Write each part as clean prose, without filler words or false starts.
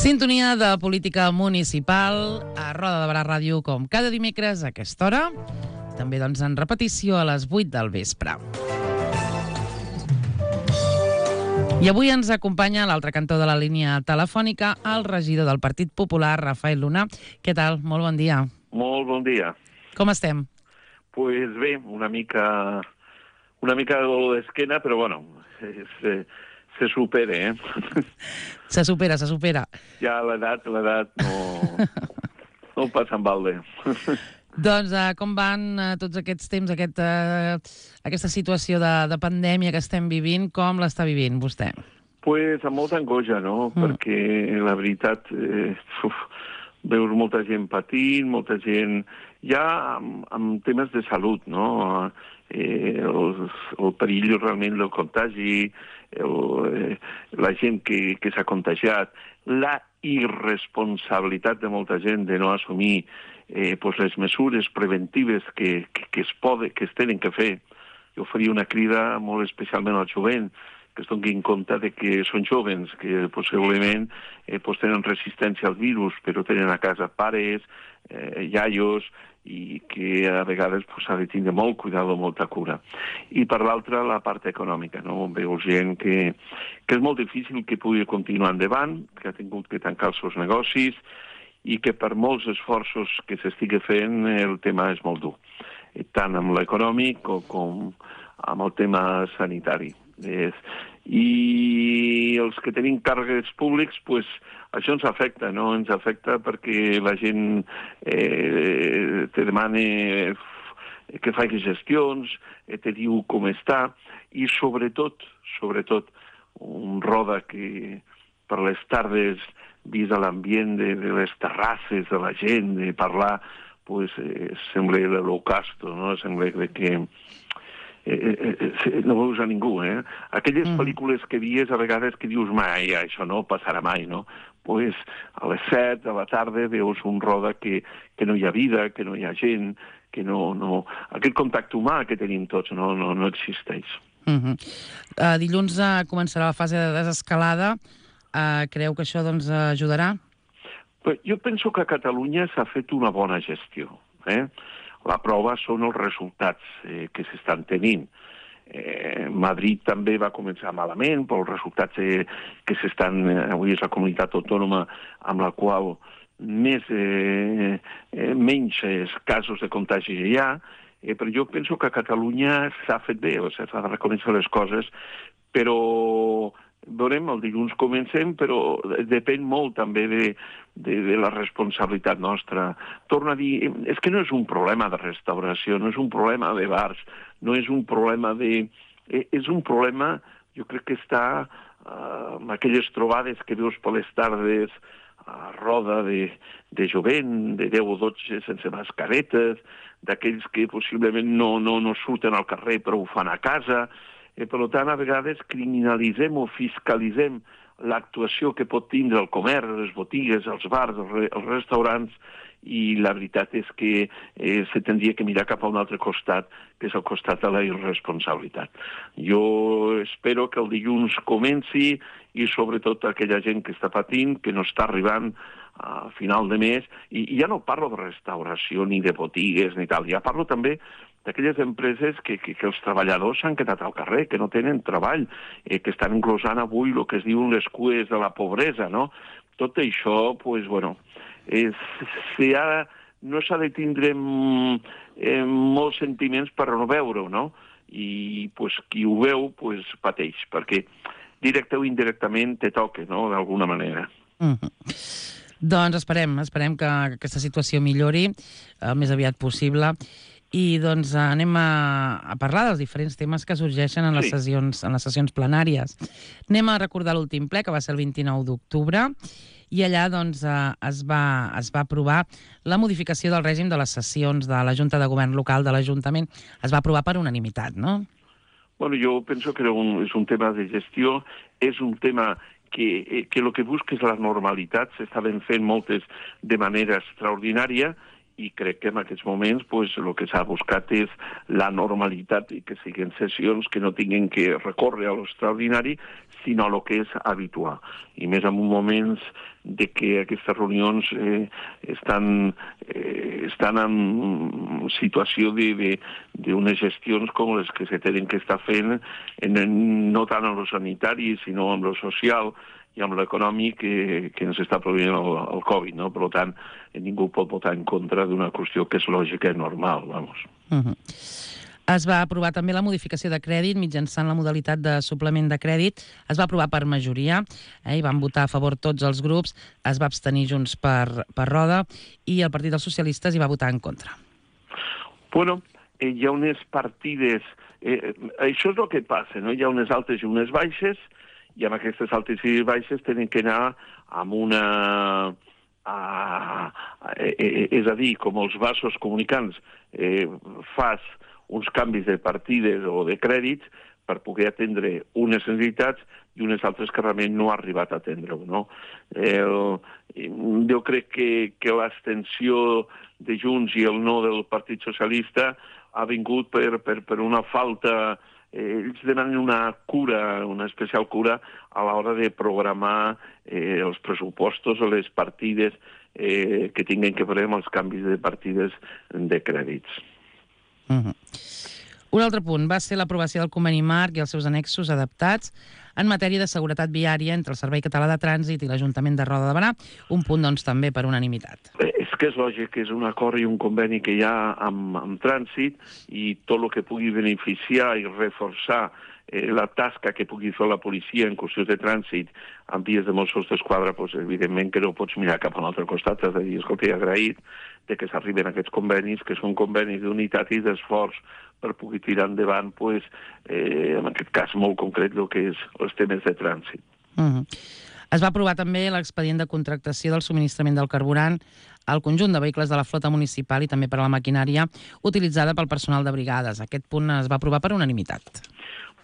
Sintonia de política municipal a Roda de Barà Ràdio, com cada dimecres a aquesta hora. També doncs en repetició a les 8 del vespre. I avui ens acompanya a l'altre cantó de la línia telefònica el regidor del Partit Popular, Rafael Luna. Què tal? Molt bon dia. Molt bon dia. Com estem? Pues bé, una mica de dolor d'esquena, però bueno, se supera, Se supera. Ja l'edat no passa en balde. Doncs com van tots aquests temps, aquesta situació de pandèmia que estem vivint, com l'està vivint vostè? Pues amb molta angoixa, no? Perquè la veritat, veus molta gent patint, molta gent ja amb temes de salut, no? El perill realment del contagi, la gent que s'ha contagiat, la irresponsabilitat de molta gent de no assumir les mesures preventives que es tenen que fer. Jo faria una crida molt especialment al jovent, que es donin compte de que són jovens, que possiblement tenen resistència al virus, però tenen a casa pares, iaios, i que a vegades s'ha de tindre molt cuidado, molta cura. I per l'altra, la part econòmica, no? Veus gent que és molt difícil que pugui continuar endavant, que ha tingut que tancar els seus negocis, i que per molts esforços que s'estigui fent el tema és molt dur, tant amb l'econòmic com amb el tema sanitari. I els que tenim càrrecs públics, pues, això ens afecta, no? Ens afecta perquè la gent te demana que faci gestions, te diu com està, i sobretot, un Roda que per les tardes, vist l'ambient de les terrasses de la gent, de parlar, pues, sembla l'Holocausto, no? Sembla que no veus a ningú, Aquelles pel·lícules que vies a vegades que dius mai, això no passarà mai, no? Pues a les 7 de la tarda veus un Roda que no hi ha vida, que no hi ha gent, que no... Aquest contacte humà que tenim tots no existeix. Dilluns començarà la fase de desescalada. Creu que això doncs ajudarà? Jo penso que a Catalunya s'ha fet una bona gestió, La prova són els resultats que s'estan tenint. Madrid també va començar malament, però els resultats que s'estan... Avui és la comunitat autònoma amb la qual menys casos de contagi hi ha, però jo penso que a Catalunya s'ha fet bé, s'ha de reconèixer les coses, però veurem, el dilluns comencem, però depèn molt també de la responsabilitat nostra. Torno a dir, és que no és un problema de restauració, no és un problema de bars, no és un problema de... És un problema, jo crec que està amb aquelles trobades que veus per les tardes a Roda de jovent, de 10 o 12 sense mascaretes, d'aquells que possiblement no surten al carrer però ho fan a casa. Per tant, a vegades criminalitzem o fiscalitzem l'actuació que pot tindre el comerç, les botigues, els bars, els restaurants, i la veritat és que se tindria que mirar cap a un altre costat, que és el costat de la irresponsabilitat. Jo espero que el dilluns comenci, i sobretot aquella gent que està patint, que no està arribant a final de mes, i ja no parlo de restauració ni de botigues ni tal, ja parlo també d'aquelles empreses que els treballadors s'han quedat al carrer, que no tenen treball, que estan englosant avui el que es diuen les cues de la pobresa, no? Tot això, pues, bueno, no s'ha de tindre molts sentiments per no veure-ho, no? I pues, qui ho veu pues, pateix, perquè directe o indirectament te toca, no?, d'alguna manera. Doncs esperem que aquesta situació millori el més aviat possible. I doncs anem a parlar dels diferents temes que sorgeixen en les sessions plenàries. Anem a recordar l'últim ple, que va ser el 29 d'octubre, i allà doncs es va aprovar la modificació del règim de les sessions de la Junta de Govern Local de l'Ajuntament. Es va aprovar per unanimitat, no? Bueno, jo penso que és un tema de gestió, és un tema que el que busca és la normalitat, s'estaven fent moltes de manera extraordinària, i crec que en aquests moments el que s'ha buscat és la normalitat i que siguin sessions que no tinguin que recórrer a l'extraordinari, sinó a el que és habitual. I més en moments de que aquestes reunions estan en situació d'unes gestions com les que se tenen que estar fent, no tant en lo sanitari, sinó en lo social i amb l'econòmic que ens està produint el Covid, no? Per tant, ningú pot votar en contra d'una qüestió que és lògica i normal, vamos. Es va aprovar també la modificació de crèdit mitjançant la modalitat de suplement de crèdit. Es va aprovar per majoria, i van votar a favor tots els grups, es va abstenir Junts per Roda i el Partit dels Socialistes hi va votar en contra. Bueno, hi ha unes partides... això és el que passa, no? Hi ha unes altes i unes baixes, i amb aquestes altes i baixes tenen que anar amb una... és a dir, com els vasos comunicants, fas uns canvis de partides o de crèdits per poder atendre unes necessitats i unes altres que realment no ha arribat a atendre-ho, no? Jo crec que l'abstenció de Junts i el no del Partit Socialista ha vingut per una falta... Ells demanen una cura, una especial cura a l'hora de programar els pressupostos o les partides que tinguin que veure amb els canvis de partides de crèdits. Un altre punt va ser l'aprovació del conveni marc i els seus annexos adaptats en matèria de seguretat viària entre el Servei Català de Trànsit i l'Ajuntament de Roda de Berà, un punt, doncs, també per unanimitat. És que és lògic que és un acord i un conveni que hi ha amb trànsit i tot el que pugui beneficiar i reforçar la tasca que pugui fer la policia en qüestions de trànsit en vies de Mossos d'Esquadra, doncs, evidentment que no pots mirar cap a un altre costat, has de dir, escolta, he agraït de que s'arriben aquests convenis, que són convenis d'unitat i d'esforç per poder tirar endavant, doncs, en aquest cas molt concret, el que és els temes de trànsit. Es va aprovar també l'expedient de contractació del subministrament del carburant al conjunt de vehicles de la flota municipal i també per a la maquinària utilitzada pel personal de brigades. Aquest punt es va aprovar per unanimitat.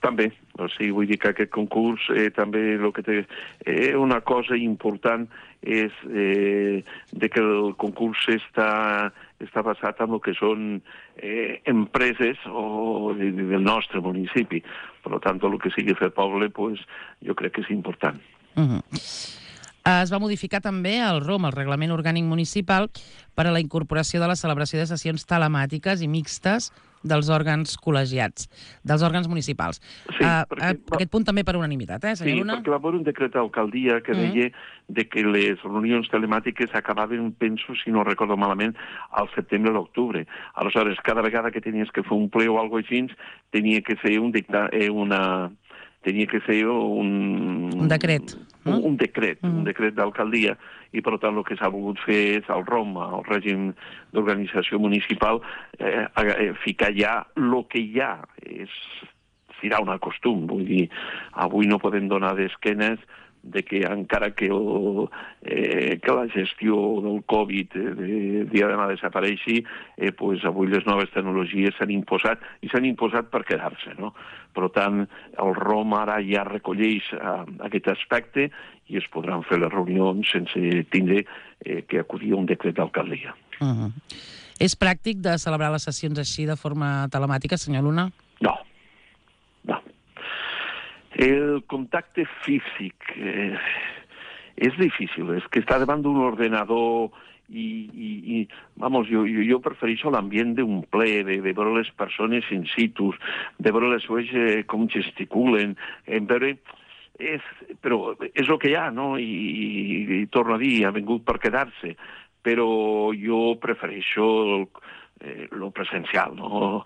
També, o sigui, vull dir que aquest concurs també el que té una cosa important és de que el concurs està basat en el que són empreses del nostre municipi. Per tant, el que sigui fer poble, jo crec que és important. Es va modificar també el ROM, el Reglament Orgànic Municipal, per a la incorporació de la celebració de sessions telemàtiques i mixtes dels òrgans col·legiats, dels òrgans municipals. Sí, aquest punt també per unanimitat, senyor Luna? Sí, perquè va haver un decret d'alcaldia que deia que les reunions telemàtiques acabaven, penso, si no recordo malament, al setembre o l'octubre. Aleshores, cada vegada que tenies que fer un ple o alguna cosa així, tenia que ser un decret. Un decret d'alcaldia, i per tant el que s'ha volgut fer és el ROM, el règim d'organització municipal, ficar ja el que hi ha. Serà un costum, vull dir, avui no podem donar d'esquenes de que encara que la gestió del Covid dia demà desapareixi, avui les noves tecnologies s'han imposat, i s'han imposat per quedar-se, no? Per tant, el ROM ara ja recolleix aquest aspecte i es podran fer les reunions sense tindre que acudir a un decret d'alcaldia. És pràctic de celebrar les sessions així de forma telemàtica, senyor Luna? No. El contacte físic és difícil, és que estar davant d'un ordenador i jo prefereixo l'ambient d'un ple, de veure les persones in situ, de veure les veus com gesticulen, però és el que hi ha, no? I torno a dir, ha vingut per quedar-se, però jo prefereixo lo presencial, no?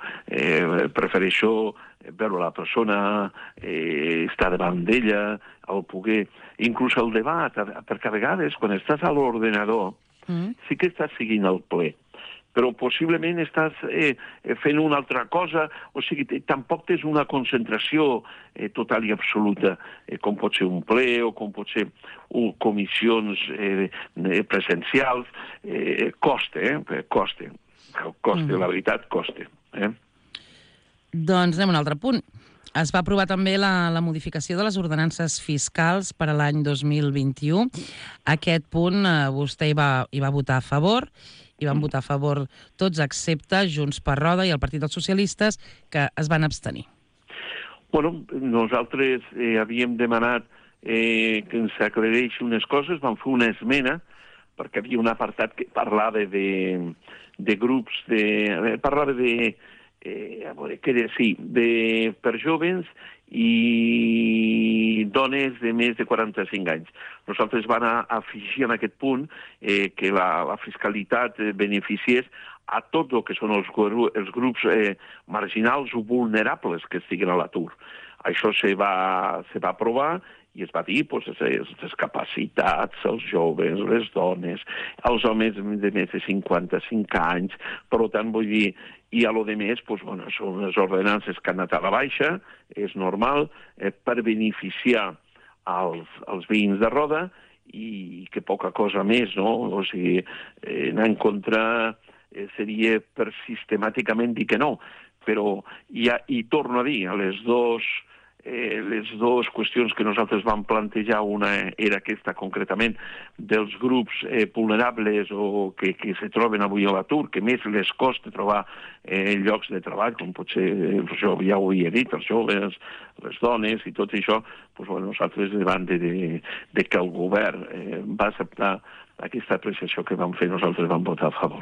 Prefereixo veure la persona, estar davant d'ella, el poder... Inclús el debat, perquè a vegades, quan estàs a l'ordenador, sí que estàs seguint el ple, però possiblement estàs fent una altra cosa, o sigui, tampoc tens una concentració total i absoluta, com pot ser un ple o com pot ser comissions presencials. Costa, la veritat, costa. Doncs anem a un altre punt. Es va aprovar també la modificació de les ordenances fiscals per a l'any 2021. Aquest punt vostè hi va votar a favor i van votar a favor tots, excepte Junts per Roda i el Partit dels Socialistes, que es van abstenir. Bueno, nosaltres havíem demanat que ens aclareixi unes coses, vam fer una esmena, perquè havia un apartat que parlava de grups, parlava per jóvens i dones de més de 45 anys. Nosaltres vam afegir en aquest punt que la fiscalitat beneficiés a tot el que són els grups marginals o vulnerables que estiguen a l'atur. Això se va aprovar i es va dir les discapacitats, els joves, les dones, els homes de més de 55 anys. Per tant, vull dir, i a lo de més, són les ordenances que han anat a la baixa, és normal, per beneficiar els veïns de Roda i que poca cosa més, no? O sigui, anar en contra seria per sistemàticament dir que no. Però, i torno a dir, les dues qüestions que nosaltres vam plantejar, una era aquesta concretament dels grups vulnerables o que se troben avui a l'atur, que més les costa trobar llocs de treball, com potser, ja ho havia dit, els joves, les dones i tot això, nosaltres davant de que el govern va acceptar aquesta apreciació que vam fer, nosaltres vam votar a favor.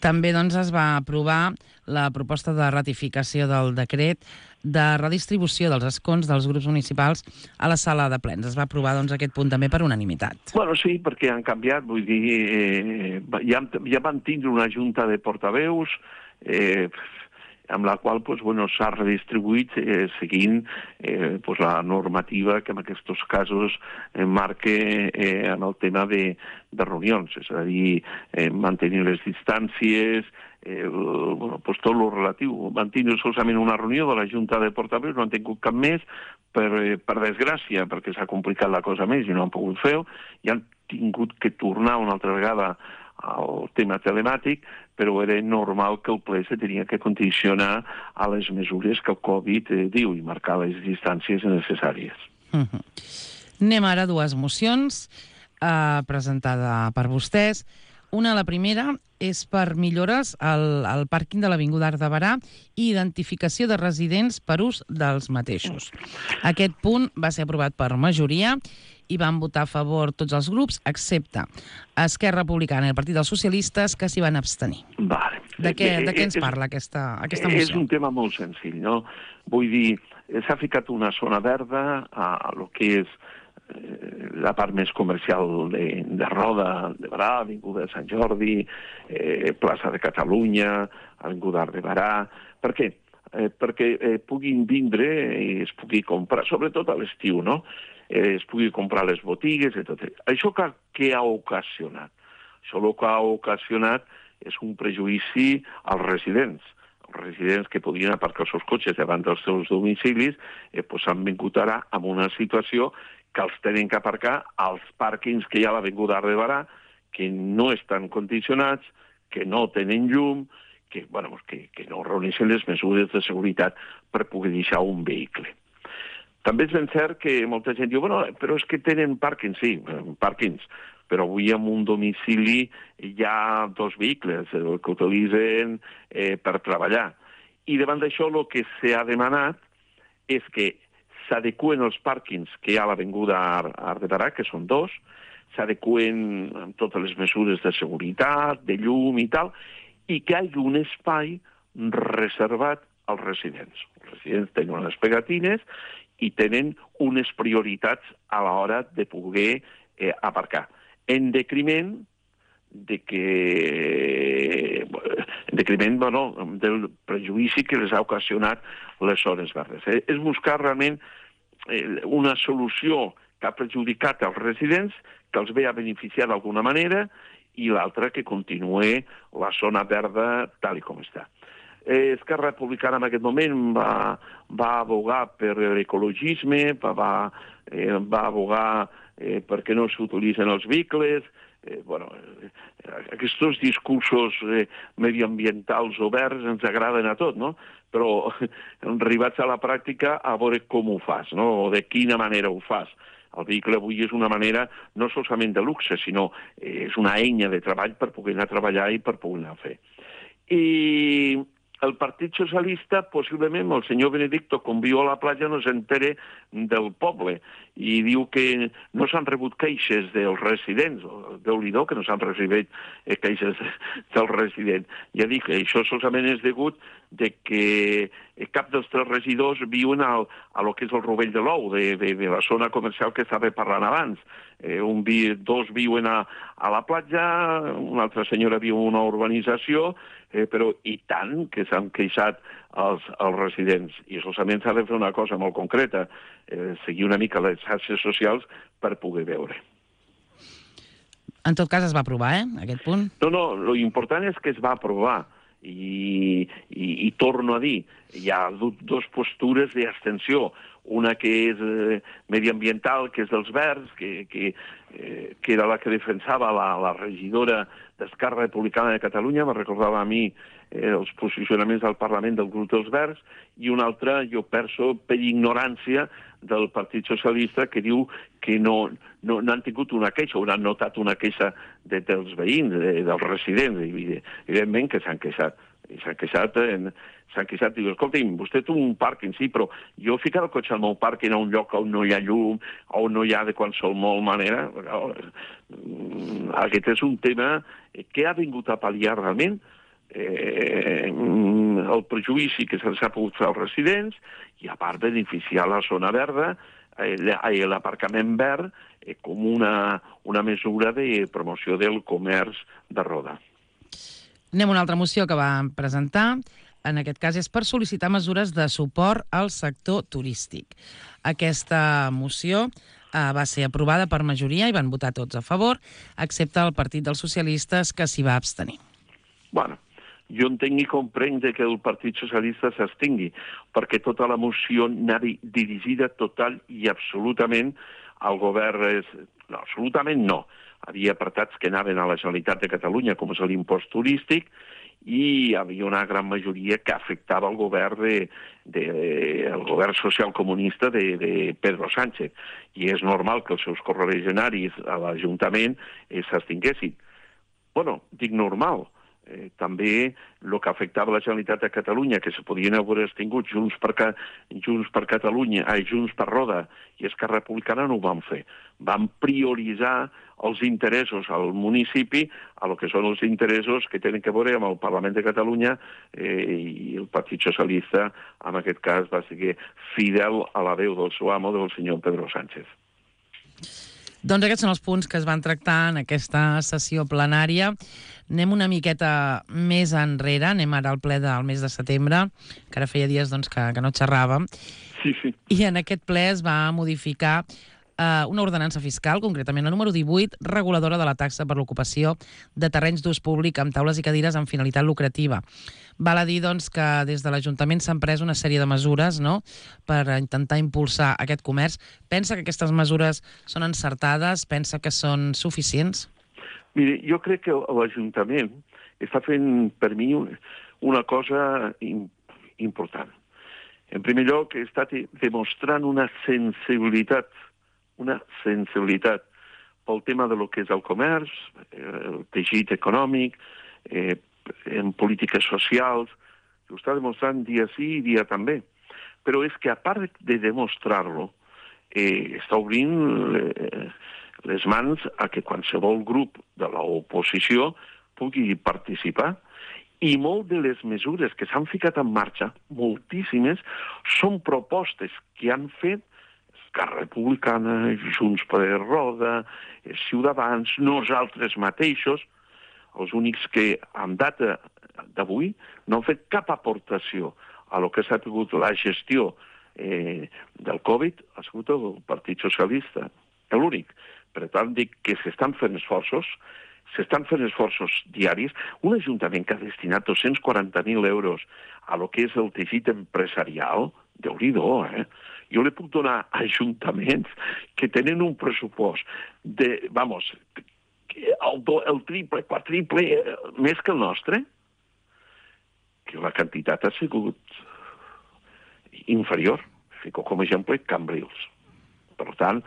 També es va aprovar la proposta de ratificació del decret de redistribució dels escons dels grups municipals a la sala de plens. Es va aprovar aquest punt també per unanimitat. Bueno, sí, perquè han canviat, vull dir, ja van tindre una junta de portaveus amb la qual s'ha redistribuït seguint la normativa que en aquests casos marca en el tema de reunions, és a dir, mantenir les distàncies, tot el relatiu. Van tindre solament una reunió de la Junta de Portaveus, no han tingut cap més, per desgràcia, perquè s'ha complicat la cosa més i no han pogut fer-ho, i han tingut que tornar una altra vegada al tema telemàtic, però era normal que el ple se tenia que condicionar a les mesures que el Covid diu i marcar les distàncies necessàries. Anem ara a dues mocions presentada per vostès. La primera és per millores al pàrquing de l'Avinguda Arc de Berà i identificació de residents per ús dels mateixos. Aquest punt va ser aprovat per majoria i van votar a favor tots els grups, excepte Esquerra Republicana i el Partit dels Socialistes, que s'hi van abstenir. Vale. De què ens parla aquesta moció? És un tema molt senzill, no? Vull dir, s'ha ficat una zona verda a lo que és la part més comercial de Roda, de Berà, Avinguda de Sant Jordi, plaça de Catalunya, Avinguda Arc de Berà. Per què? Perquè puguin vindre i es pugui comprar, sobretot a l'estiu, no? Es pugui comprar les botigues i tot. Això què ha ocasionat? Això el que ha ocasionat és un prejudici als residents. Els residents que podien aparcar els seus cotxes davant dels seus domicilis s'han vingut ara amb una situació que els tenen que aparcar als pàrquings que hi ha a l'Avinguda Arc de Berà, que no estan condicionats, que no tenen llum, que no reuneixen les mesures de seguretat per poder deixar un vehicle. També és ben cert que molta gent diu, però és que tenen pàrquings, sí, pàrquings, però avui en un domicili hi ha dos vehicles que utilitzen per treballar. I davant d'això el que s'ha demanat és que s'adeqüen els pàrquings que hi ha a l'Avinguda Arc de Berà, que són dos, s'adeqüen amb totes les mesures de seguretat, de llum i tal, i que hi hagi un espai reservat als residents. Els residents tenen unes pegatines i tenen unes prioritats a l'hora de poder aparcar. En detriment del prejudici que les ha ocasionat les zones verdes. És buscar realment una solució que ha perjudicat els residents, que els ve a beneficiar d'alguna manera, i l'altra que continuï la zona verda tal com està. Esquerra Republicana en aquest moment va abogar per l'ecologisme, va abogar perquè no s'utilitzen els vehicles. Aquests discursos mediambientals oberts ens agraden a tot, no? Però arribats a la pràctica a veure com ho fas, no? O de quina manera ho fas. El vehicle avui és una manera no solament de luxe, sinó és una eina de treball per poder anar a treballar i per poder anar a fer. I el Partit Socialista, possiblement, el senyor Benedicto, com viu a la platja, no s'entere del poble i diu que no s'han rebut queixes dels residents. Déu-n'hi-do que no s'han rebut queixes dels residents. Ja dic, això solament és degut de que cap dels 3 regidors viuen a lo que és el Rovell de l'Ou, de la zona comercial que estava parlant abans. Dos viuen a la platja, una altra senyora viu en una urbanització, però i tant que s'han queixat els residents. I solament s'ha de fer una cosa molt concreta, seguir una mica les xarxes socials per poder veure. En tot cas es va aprovar, aquest punt? No, l'important és que es va aprovar. I torno a dir, hi ha 2 postures d'abstenció. Una que és mediambiental, que és dels Verds, que era la que defensava la regidora d'Esquerra Republicana de Catalunya, me recordava a mi els posicionaments del Parlament del grup dels Verds, i una altra, jo penso, per ignorància del Partit Socialista, que diu que no han tingut una queixa, o no han notat una queixa dels veïns, dels residents, evidentment que s'han queixat. I s'han queixat, diu, escolti'm, vostè té un pàrquing, sí, però jo ficar el cotxe al meu pàrquing a un lloc on no hi ha llum, on no hi ha de qualsevol manera, aquest és un tema que ha vingut a pal·liar realment el prejudici que se'ls ha pogut fer als residents i, a part, beneficiar la zona verda, l'aparcament verd, com una mesura de promoció del comerç de Roda. Anem a una altra moció que va presentar. En aquest cas és per sol·licitar mesures de suport al sector turístic. Aquesta moció va ser aprovada per majoria i van votar tots a favor, excepte el Partit dels Socialistes, que s'hi va abstenir. Bueno, jo entenc i comprenc que el Partit Socialista s'abstingui, perquè tota la moció anava dirigida total i absolutament al govern. No, absolutament no. Hi havia apartats que anaven a la Generalitat de Catalunya, com és l'impost turístic, i hi havia una gran majoria que afectava el govern el govern socialcomunista de Pedro Sánchez. I és normal que els seus correligionaris a l'Ajuntament s'abstinguessin. Bueno, dic normal. També el que afectava la Generalitat de Catalunya, que se podien haver extingut Junts per Catalunya, Junts per Roda i Esquerra Republicana, no ho van fer. Van prioritzar els interessos al municipi a lo que són els interessos que tenen que veure amb el Parlament de Catalunya, i el Partit Socialista, en aquest cas, va ser fidel a la veu del seu amo, del senyor Pedro Sánchez. Doncs aquests són els punts que es van tractar en aquesta sessió plenària. Anem una miqueta més enrere, anem ara al ple del mes de setembre, que ara feia dies que no xerràvem. Sí. I en aquest ple es va modificar una ordenança fiscal, concretament la número 18, reguladora de la taxa per l'ocupació de terrenys d'ús públic amb taules i cadires amb finalitat lucrativa. Val a dir que des de l'Ajuntament s'han pres una sèrie de mesures, no?, per intentar impulsar aquest comerç. Pensa que aquestes mesures són encertades? Pensa que són suficients? Mire, jo crec que l'Ajuntament està fent, per mi, una cosa important. En primer lloc, està demostrant una sensibilitat pel tema de lo que és el comerç, el teixit econòmic, en polítiques socials. Ho està demostrant dia sí i dia també. Però és que, a part de demostrar-lo, està obrint les mans a que qualsevol grup de l'oposició pugui participar. I molt de les mesures que s'han ficat en marxa, moltíssimes, són propostes que han fet Esquerra Republicana, Junts per Roda, Ciutadans, nosaltres mateixos, els únics que, en data d'avui, no han fet cap aportació a lo que s'ha tingut la gestió del Covid, ha sigut el Partit Socialista, l'únic. Per tant, dic que s'estan fent esforços diaris. Un ajuntament que ha destinat 240.000 euros a lo que és el teixit empresarial, Déu-n'hi-do, Jo li puc donar ajuntaments que tenen un pressupost de, el triple, quadriple, més que el nostre, que la quantitat ha sigut inferior. Fico com a exemple Cambrils. Per tant,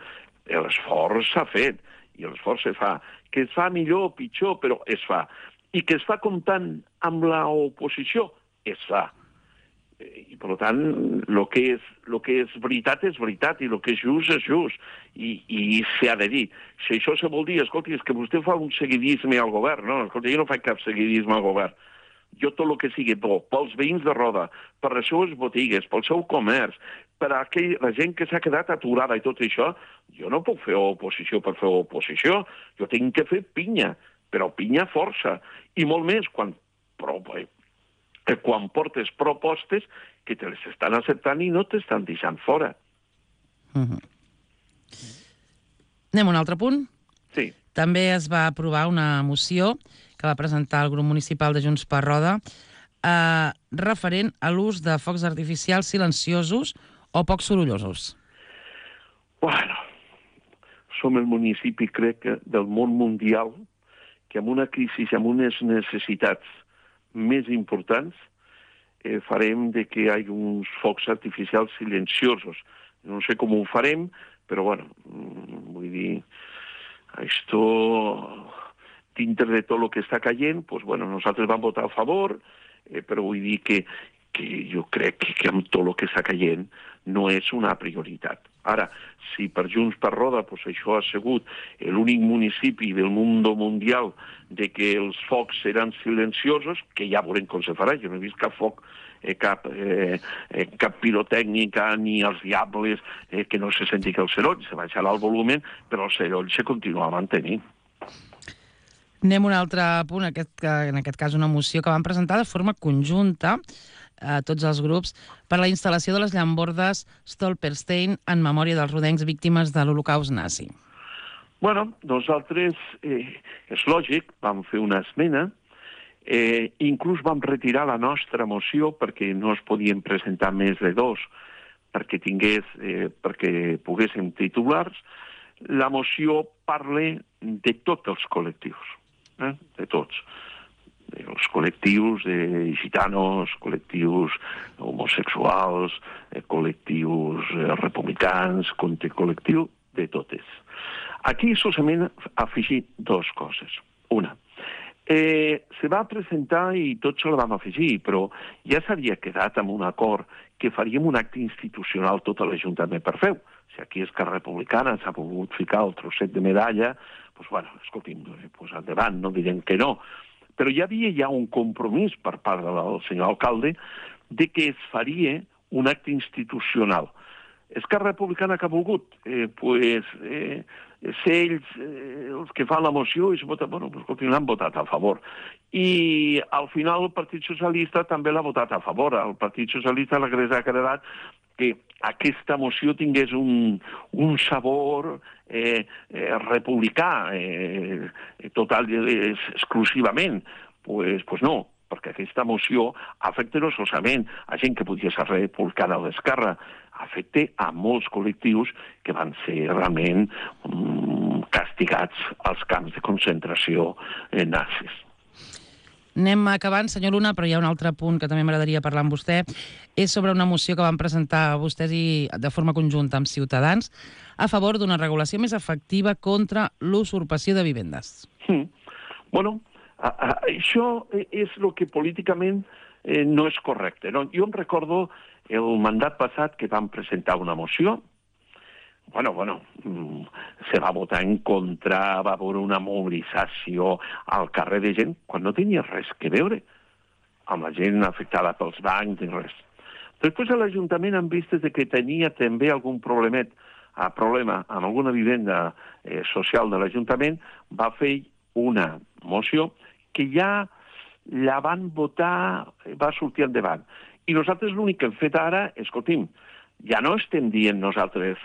l'esforç s'ha fet, i l'esforç se fa. Que es fa millor o pitjor, però es fa. I que es fa comptant amb l'oposició, es fa. I, per tant, el que és veritat, i el que és just, i s'ha de dir. Si això se vol dir, escolti, és que vostè fa un seguidisme al govern, no, escolti, jo no faig cap seguidisme al govern. Jo tot el que sigui bo, pels veïns de Roda, per les seves botigues, pel seu comerç, per a la gent que s'ha quedat aturada i tot això, jo no puc fer oposició per fer oposició, jo tinc que fer pinya, però pinya força, i molt més quan portes propostes que te les estan acceptant i no t'estan deixant fora. Anem a un altre punt? Sí. També es va aprovar una moció que va presentar el grup municipal de Junts per Roda referent a l'ús de focs artificials silenciosos o poc sorollosos. Bueno, som el municipi, crec, del món mundial que amb una crisi, amb unes necessitats més importants, farem de que hi hagi uns focs artificials silenciosos. No sé com ho farem, però, bueno, vull dir, això, dintre de tot el que està caient, doncs, bueno, nosaltres vam votar a favor, però vull dir que jo crec que amb tot el que està caient no és una prioritat. Ara, si per Junts per Roda això ha sigut l'únic municipi del món mundial de que els focs seran silenciosos, que ja veurem com se farà. Jo no he vist cap foc, cap pirotècnica ni els diables que no se senti que el soroll. Se baixarà el volum, però el soroll se continua mantenint. Anem a un altre punt, en aquest cas una moció que van presentar de forma conjunta a tots els grups per la instal·lació de les llambordes Stolperstein en memòria dels rodencs víctimes de l'Holocaust nazi. Bueno, nosaltres, és lògic, vam fer una esmena, inclús vam retirar la nostra moció perquè no es podien presentar més de dos perquè poguéssim titulars. La moció parla de tots els col·lectius, de tots. Els col·lectius de gitanos, col·lectius homosexuals, col·lectius republicans, col·lectiu de totes. Aquí solament afegir dues coses. Una, se va presentar i tots se la vam afegir, però ja s'havia quedat amb un acord que faríem un acte institucional tot l'Ajuntament per fer-ho. Si aquí Esquerra Republicana s'ha volgut ficar el trosset de medalla, doncs, bueno, escolti'm, endavant, no direm que no. Però hi havia un compromís per part del senyor alcalde de que es faria un acte institucional. Esquerra Republicana que ha volgut? Ser ells els que fan la moció i l'han votat a favor. I al final el Partit Socialista també l'ha votat a favor. Al Partit Socialista l'hagués agradat que aquesta moció tingués un sabor republicà, total, exclusivament. Pues no, perquè aquesta moció afecta no solament a gent que podia ser republicana o d'esquerra, afecta a molts col·lectius que van ser realment castigats als camps de concentració nazis. Anem acabant, senyor Luna, però hi ha un altre punt que també m'agradaria parlar amb vostè. És sobre una moció que van presentar vostès de forma conjunta amb Ciutadans a favor d'una regulació més efectiva contra l'usurpació de vivendes. Bueno, això és el que políticament no és correcte. Jo em recordo el mandat passat que vam presentar una moció. Se va votar en contra, va haver una mobilització al carrer de gent quan no tenia res que veure amb la gent afectada pels bancs i res. Després a l'Ajuntament han vist que tenia també algun problema amb alguna vivenda social de l'Ajuntament, va fer una moció que ja la van votar, va sortir endavant. I nosaltres l'únic que hem fet ara, escolti'm, ja no estem dient nosaltres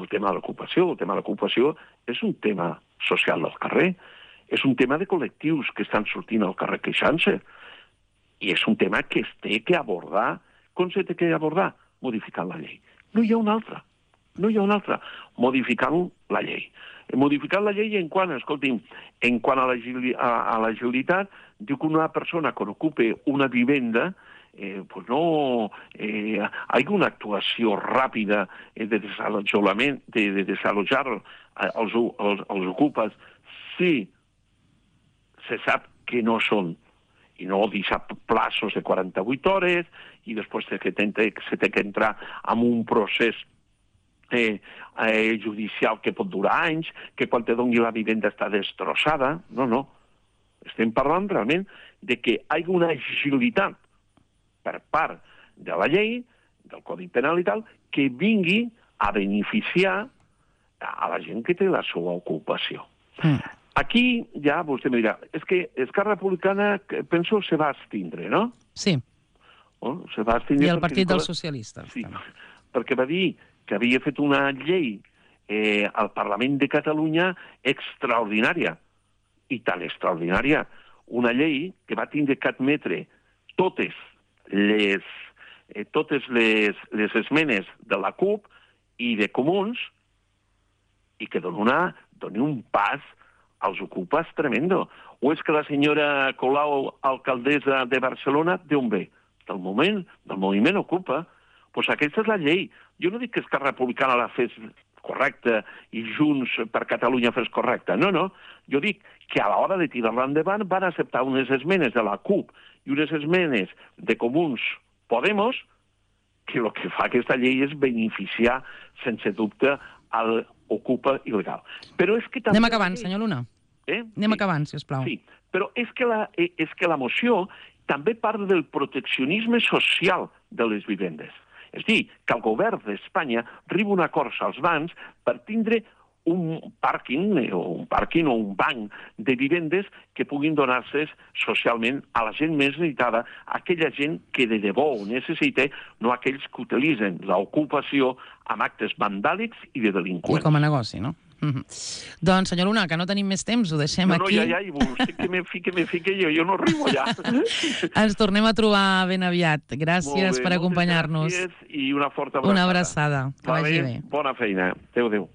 el tema de l'ocupació. El tema de l'ocupació és un tema social del carrer, és un tema de col·lectius que estan sortint al carrer queixant-se, i és un tema que es té que abordar. Com s'ha de abordar? Modificant la llei. No hi ha una altra. Modificant la llei. Modificant la llei en quant, escolti'm, en quant a l'agilitat, diu que una persona que ocupa una vivenda pues no hay una actuació ràpida de desalojament, de desalojar els ocupes si se sap que no són, i no deixar plaços de 48 hores i després se té que entrar en un procés judicial que pot durar anys, que quan te doni la vivenda està destrossada. No. Estem parlant realment de que hi hagi una agilitat per part de la llei, del Codi Penal i tal, que vingui a beneficiar a la gent que té la seva ocupació. Aquí ja vostè em dirà, és que Esquerra Republicana, penso, se va abstindre, no? Sí. Se va abstindre. I el Partit dels Socialistes. Sí, perquè va dir que havia fet una llei al Parlament de Catalunya extraordinària, i tan extraordinària, una llei que va tindre que admetre totes les esmenes de la CUP i de Comuns, i que doni un pas als ocupes tremendo. O és que la senyora Colau, alcaldessa de Barcelona, d'on ve? Del moviment Ocupa. Doncs aquesta és la llei. Jo no dic que Esquerra Republicana la fes correcta i Junts per Catalunya fes correcta. No. Jo dic que a l'hora de tirar-la endavant van acceptar unes esmenes de la CUP i unes esmenes de Comuns Podemos, que el que fa aquesta llei és beneficiar, sense dubte, al ocupa il·legal. Però és que també... Anem acabant, senyor Luna. Anem acabant, sisplau. Sí, però és que la moció també parla del proteccionisme social de les vivendes. És a dir, que el govern d'Espanya arriba a un acord als bancs per tindre un pàrquing o un banc de vivendes que puguin donar-se socialment a la gent més necessitada, aquella gent que de debò ho necessita, no aquells que utilitzen l'ocupació amb actes vandàlics i de delinqüents. I com a negoci, no? Doncs, senyor Luna, que no tenim més temps, ho deixem aquí. No, ja, vostè que me fique jo no arribo ja. Ens tornem a trobar ben aviat. Gràcies per acompanyar-nos. Gràcies i una forta abraçada. Una abraçada. Que vagi bé. Bona feina. Adéu.